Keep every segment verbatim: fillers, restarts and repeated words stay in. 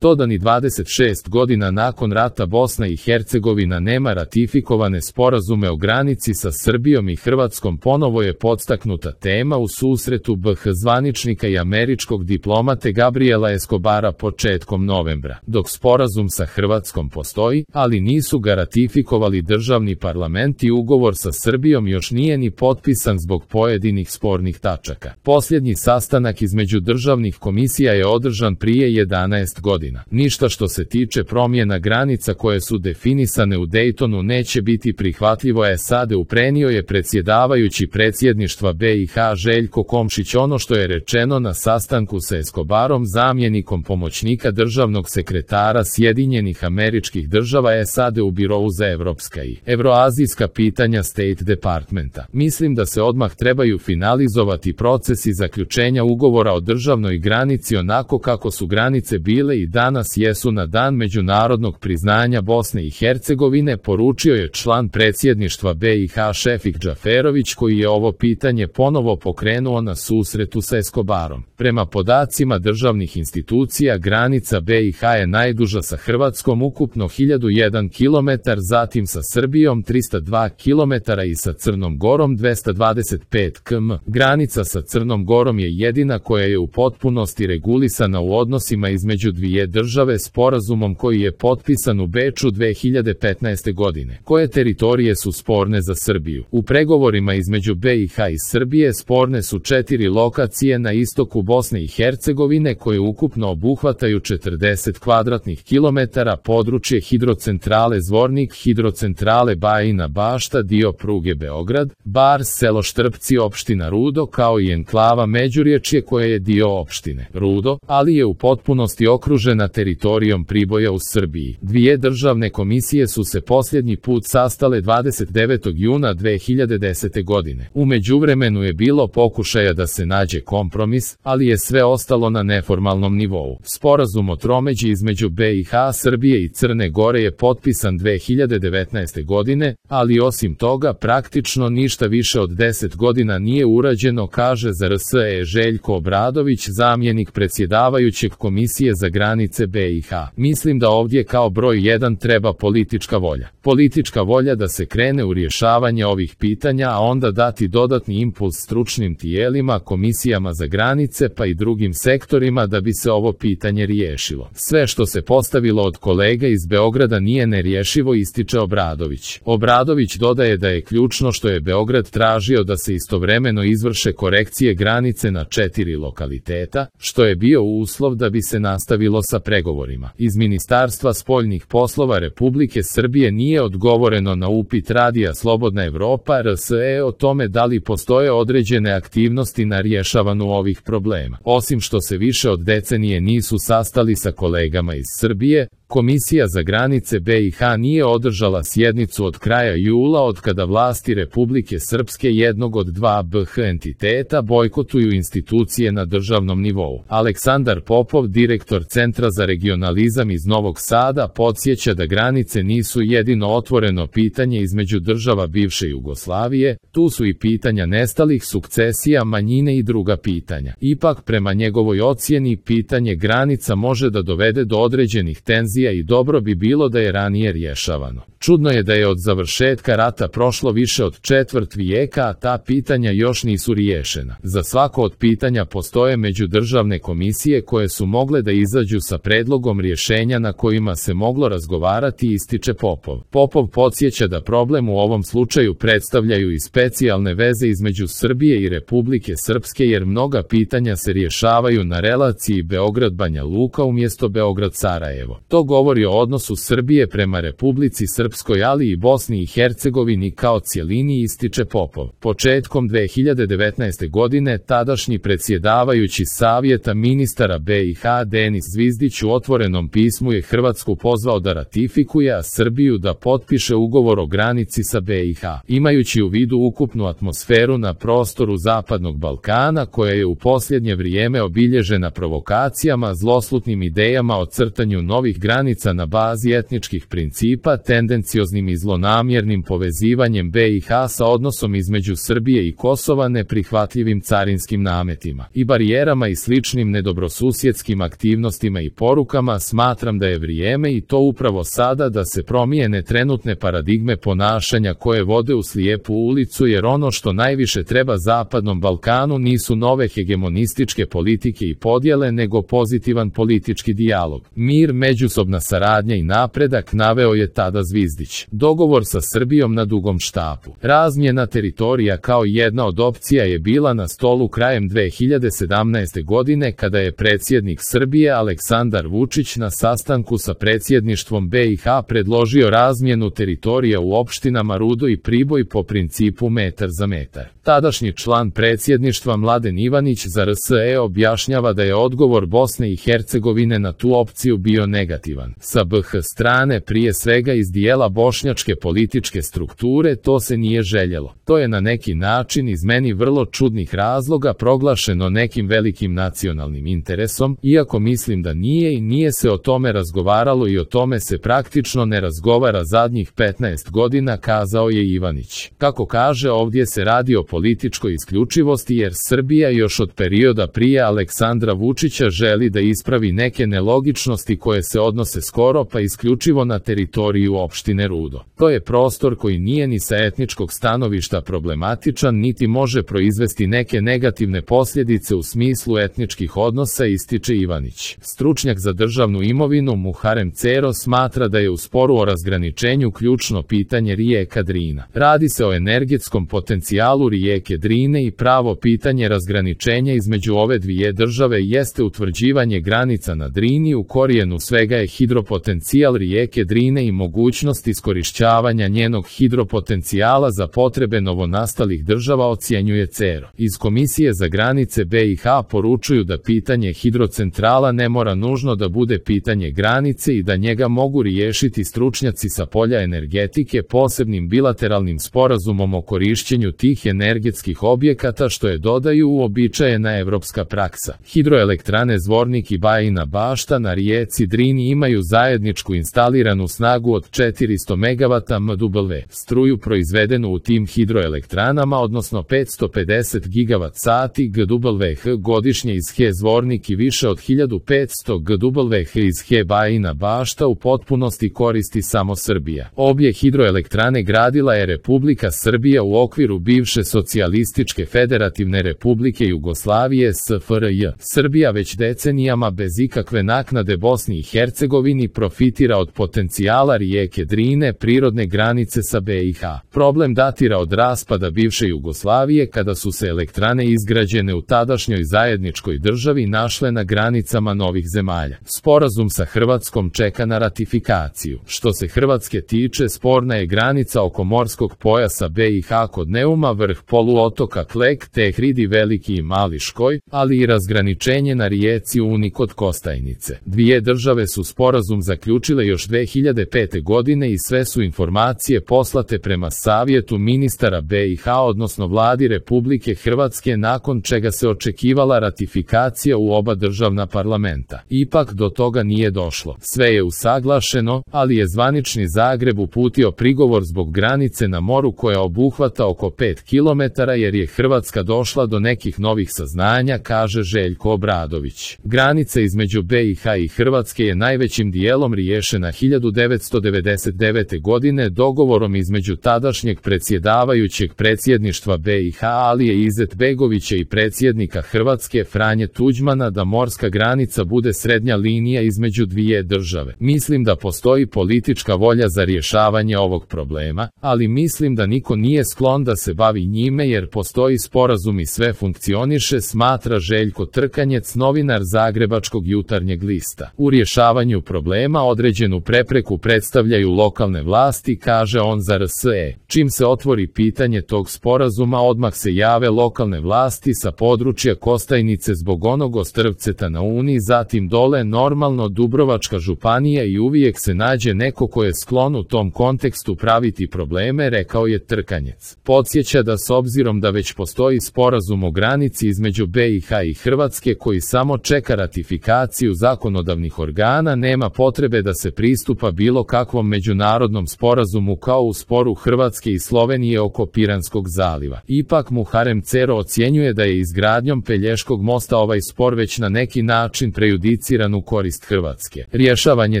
To da ni dvadeset šest godina nakon rata Bosna i Hercegovina nema ratifikovane sporazume o granici sa Srbijom i Hrvatskom ponovo je podstaknuta tema u susretu B H zvaničnika i američkog diplomate Gabriela Escobara početkom novembra. Dok sporazum sa Hrvatskom postoji, ali nisu ga ratifikovali državni parlament i ugovor sa Srbijom još nije ni potpisan zbog pojedinih spornih tačaka. Posljednji sastanak između državnih komisija je održan prije jedanaest godina. Ništa što se tiče promjena granica koje su definisane u Dejtonu neće biti prihvatljivo, je sad uprenio je predsjedavajući predsjedništva B i H Željko Komšić. Ono što je rečeno na sastanku sa Escobarom, zamjenikom pomoćnika državnog sekretara Sjedinjenih Američkih Država S A D u Birovu za evropska i evroazijska pitanja State Departmenta. Mislim da se odmah trebaju finalizovati procesi zaključenja ugovora o državnoj granici onako kako su granice bile i danas jesu na dan međunarodnog priznanja Bosne i Hercegovine, poručio je član predsjedništva B i H Šefik Džaferović, koji je ovo pitanje ponovo pokrenuo na susretu sa Escobarom. Prema podacima državnih institucija, granica B i H je najduža sa Hrvatskom, ukupno hiljadu jedan kilometar, zatim sa Srbijom trista dva kilometra i sa Crnom Gorom dvesta dvadeset pet kilometara. Granica sa Crnom Gorom je jedina koja je u potpunosti regulisana u odnosima između dvije države sporazumom koji je potpisan u Beču dve hiljade petnaeste godine. Koje teritorije su sporne za Srbiju? U pregovorima između B i H i Srbije sporne su četiri lokacije na istoku Bosne i Hercegovine koje ukupno obuhvataju četrdeset kvadratnih kilometara, područje hidrocentrale Zvornik, hidrocentrale Bajina Bašta, dio pruge Beograd, Bar, selo Štrpci, opština Rudo, kao i enklava Međurječje koja je dio opštine Rudo, ali je u potpunosti okružena teritorijom Priboja u Srbiji. Dvije državne komisije su se posljednji put sastale dvadeset devetog juna dve hiljade desete godine. U međuvremenu je bilo pokušaja da se nađe kompromis, ali je sve ostalo na neformalnom nivou. Sporazum o tromeđi između B i H, Srbije i Crne Gore je potpisan dve hiljade devetnaeste godine, ali osim toga praktično ništa više od deset godina nije urađeno, kaže za R S E Željko Obradović, zamjenik predsjedavajućeg Komisije za granice B i H. Mislim da ovdje kao broj jedan treba politička volja. Politička volja da se krene u rješavanje ovih pitanja, a onda dati dodatni impuls stručnim tijelima, komisijama za granice pa i drugim sektorima da bi se ovo pitanje riješilo. Sve što se postavilo od kolega iz Beograda nije nerješivo, ističe Obradović. Obradović dodaje da je ključno što je Beograd tražio da se istovremeno izvrše korekcije granice na četiri lokaliteta, što je bio uslov da bi se nastavilo sa pregovorima. Iz Ministarstva spoljnih poslova Republike Srbije nije odgovoreno na upit Radija Slobodna Evropa R S E o tome da li postoje određene aktivnosti na rješavanju ovih problema. Osim što se više od decenije nisu sastali sa kolegama iz Srbije, Komisija za granice B i H nije održala sjednicu od kraja jula od kada vlasti Republike Srpske, jednog od dva B H entiteta, bojkotuju institucije na državnom nivou. Aleksandar Popov, direktor Centra za regionalizam iz Novog Sada, podsjeća da granice nisu jedino otvoreno pitanje između država bivše Jugoslavije, tu su i pitanja nestalih, sukcesija, manjine i druga pitanja. Ipak, prema njegovoj ocjeni, pitanje granica može da dovede do određenih tenzija i dobro bi bilo da je ranije rješavano. Čudno je da je od završetka rata prošlo više od četvrt vijeka, a ta pitanja još nisu riješena. Za svako od pitanja postoje međudržavne komisije koje su mogle da izađu sa predlogom rješenja na kojima se moglo razgovarati, ističe Popov. Popov podsjeća da problem u ovom slučaju predstavljaju i specijalne veze između Srbije i Republike Srpske, jer mnoga pitanja se rješavaju na relaciji Beograd-Banja Luka umjesto Beograd-Sarajevo. To govori o odnosu Srbije prema Republici Srpskoj, ali i Bosni i Hercegovini kao cjelini, ističe Popov. Početkom dve hiljade devetnaeste godine tadašnji predsjedavajući Savjeta ministara B i H Denis Zvizdić u otvorenom pismu je Hrvatsku pozvao da ratifikuje, a Srbiju da potpiše ugovor o granici sa B i H. Imajući u vidu ukupnu atmosferu na prostoru Zapadnog Balkana, koja je u posljednje vrijeme obilježena provokacijama, zloslutnim idejama o crtanju novih granica granica na bazi etničkih principa, tendencioznim i zlonamjernim povezivanjem B i H sa odnosom između Srbije i Kosova, neprihvatljivim carinskim nametima i barijerama i sličnim nedobrosusjedskim aktivnostima i porukama, smatram da je vrijeme i to upravo sada da se promijene trenutne paradigme ponašanja koje vode u slijepu ulicu, jer ono što najviše treba Zapadnom Balkanu nisu nove hegemonističke politike i podjele, nego pozitivan politički dijalog, mir, međusobna saradnja i napredak, naveo je tada Zvizdić. Dogovor sa Srbijom na dugom štapu. Razmjena teritorija kao jedna od opcija je bila na stolu krajem dve hiljade sedamnaeste. godine kada je predsjednik Srbije Aleksandar Vučić na sastanku sa predsjedništvom B i H predložio razmjenu teritorija u opštinama Rudo i Priboj po principu metar za metar. Tadašnji član predsjedništva Mladen Ivanić za R S E objašnjava da je odgovor Bosne i Hercegovine na tu opciju bio negativan. Sa B H strane, prije svega iz dijela bošnjačke političke strukture, to se nije željelo. To je na neki način iz meni vrlo čudnih razloga proglašeno nekim velikim nacionalnim interesom, iako mislim da nije i nije se o tome razgovaralo i o tome se praktično ne razgovara zadnjih petnaest godina, kazao je Ivanić. Kako kaže, ovdje se radi o političkoj isključivosti, jer Srbija još od perioda prije Aleksandra Vučića želi da ispravi neke nelogičnosti koje se odnose skoro pa isključivo na teritoriju opštine Rudo. To je prostor koji nije ni sa etničkog stanovišta problematičan, niti može proizvesti neke negativne posljedice u smislu etničkih odnosa, ističe Ivanić. Stručnjak za državnu imovinu Muharem Cero smatra da je u sporu o razgraničenju ključno pitanje rijeka Drina. Radi se o energetskom potencijalu rijeke Drine i pravo pitanje razgraničenja između ove dvije države jeste utvrđivanje granica na Drini. U korijenu svega je hidropotencijal rijeke Drine i mogućnost iskorišćavanja njenog hidropotencijala za potrebe novonastalih država, ocjenjuje Cero. Iz Komisije za granice B i H poručuju da pitanje hidrocentrala ne mora nužno da bude pitanje granice i da njega mogu riješiti stručnjaci sa polja energetike posebnim bilateralnim sporazumom o korišćenju tih energetskih objekata, što je, dodaju, uobičajena evropska praksa. Hidroelektrane Zvornik i Bajina Bašta na rijeci Drini imaju zajedničku instaliranu snagu od četiristo megavata M W. Struju proizvedenu u tim hidroelektranama, odnosno petsto pedeset gigavat sati G W H godišnje iz H E Zvornik i više od hiljadu petsto G W H iz H E Bajina Bašta u potpunosti koristi samo Srbija. Obje hidroelektrane gradila je Republika Srbija u okviru bivše socijalističke federativne republike Jugoslavije S F R J. Srbija već decenijama bez ikakve naknade Bosni i Hercegovini profitira od potencijala rijeke Drine, prirodne granice sa B i H. Problem datira od raspada bivše Jugoslavije, kada su se elektrane izgrađene u tadašnjoj zajedničkoj državi našle na granicama novih zemalja. Sporazum sa Hrvatskom čeka na ratifikaciju. Što se Hrvatske tiče, sporna je granica oko morskog pojasa B i H kod Neuma, vrh poluotoka Klek, Tehridi, Veliki i Mali Škoj, ali i razgraničenje na rijeci Uni kod Kostajnice. Dvije države su sporazum zaključile još dve hiljade pete. godine i sve su informacije poslate prema Savjetu ministara B i H, odnosno Vladi Republike Hrvatske, nakon čega se očekivala ratifikacija u oba državna parlamenta. Ipak do toga nije došlo. Sve je usaglašeno, ali je zvanični Zagreb uputio prigovor zbog granice na moru koja obuhvata oko pet kilometara, jer je Hrvatska došla do nekih novih saznanja, kaže Željko Obradović. Granica između B i H i Hrvatske je najvećim dijelom riješena hiljadu devetsto devedeset devete. godine dogovorom između tadašnjeg predsjedavajućeg predsjedništva B i H Alije Izetbegovića i predsjednika Hrvatske Franje Tuđmana da morska granica bude srednja linija između dvije države. Mislim da postoji politička volja za rješavanje ovog problema, ali mislim da niko nije sklon da se bavi njime jer postoji sporazum i sve funkcioniše, smatra Željko Trkanjec, novinar Zagrebačkog jutarnjeg lista. U rješavanju problema određenu prepreku predstavljaju lokalne vlasti, kaže on za R S E. Čim se otvori pitanje tog sporazuma, odmah se jave lokalne vlasti sa područja Kostajnice zbog onog ostrvceta na Uni, zatim dole normalno Dubrovačka županija i uvijek se nađe neko ko je sklon u tom kontekstu praviti probleme, rekao je Trkanjec. Podsjeća da s obzirom da već postoji sporazum o granici između B i H i Hrvatske koji samo čeka ratifikaciju zakonodavnih organa, nema potrebe da se pristupa bilo kakvom međunarodnom sporazumu kao u sporu Hrvatske i Slovenije oko Piranskog zaliva. Ipak Muharrem Cero ocjenjuje da je izgradnjom Pelješkog mosta ovaj spor već na neki način prejudiciran u korist Hrvatske. Rješavanje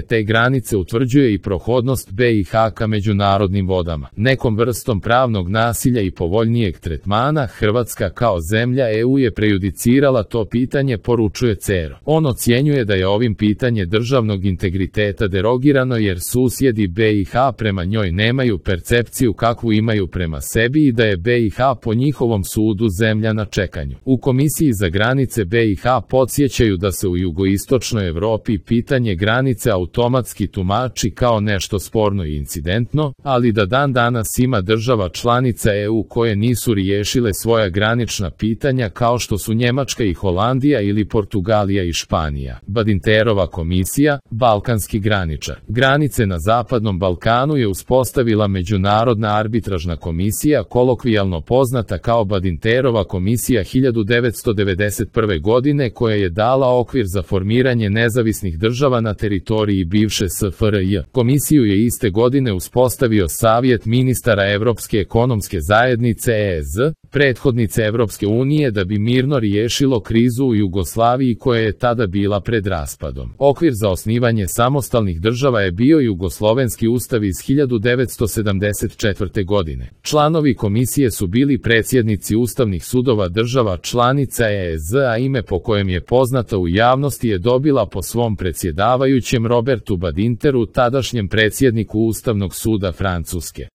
te granice utvrđuje i prohodnost B i H ka međunarodnim vodama. Nekom vrstom pravnog nasilja i povoljnijeg tretmana Hrvatska kao zemlja E U je prejudicirala to pitanje, poručuje Cero. On ocjenjuje da je ovim pitanje državnog integriteta derogirano jer susjedi B i H prema njoj nemaju percepciju kakvu imaju prema sebi i da je B i H po njihovom sudu zemlja na čekanju. U Komisiji za granice B i H podsjećaju da se u jugoistočnoj Evropi pitanje granice automatski tumači kao nešto sporno i incidentno, ali da dan danas ima država članica E U koje nisu riješile svoja granična pitanja kao što su Njemačka i Holandija ili Portugalija i Španija. Badinterova komisija, balkanski graničar. Granice na Zapadnom Balkanu je uspostavila Međunarodna arbitražna komisija, kolokvijalno poznata kao Badinterova komisija hiljadu devetsto devedeset prve. godine, koja je dala okvir za formiranje nezavisnih država na teritoriji bivše S F R J. Komisiju je iste godine uspostavio Savjet ministara Evropske ekonomske zajednice E Z, prethodnice Evropske unije, da bi mirno riješilo krizu u Jugoslaviji koja je tada bila pred raspadom. Okvir za osnivanje samostalnih država je bio Jugoslovenski ustav iz hiljadu devetsto sedamdeset četvrte. godine. Članovi komisije su bili predsjednici ustavnih sudova država članica E Z, a ime po kojem je poznata u javnosti je dobila po svom predsjedavajućem Robertu Badinteru, tadašnjem predsjedniku Ustavnog suda Francuske.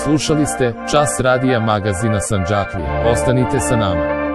Slušali ste Čas radija magazina Sandžaklije. Ostanite sa nama.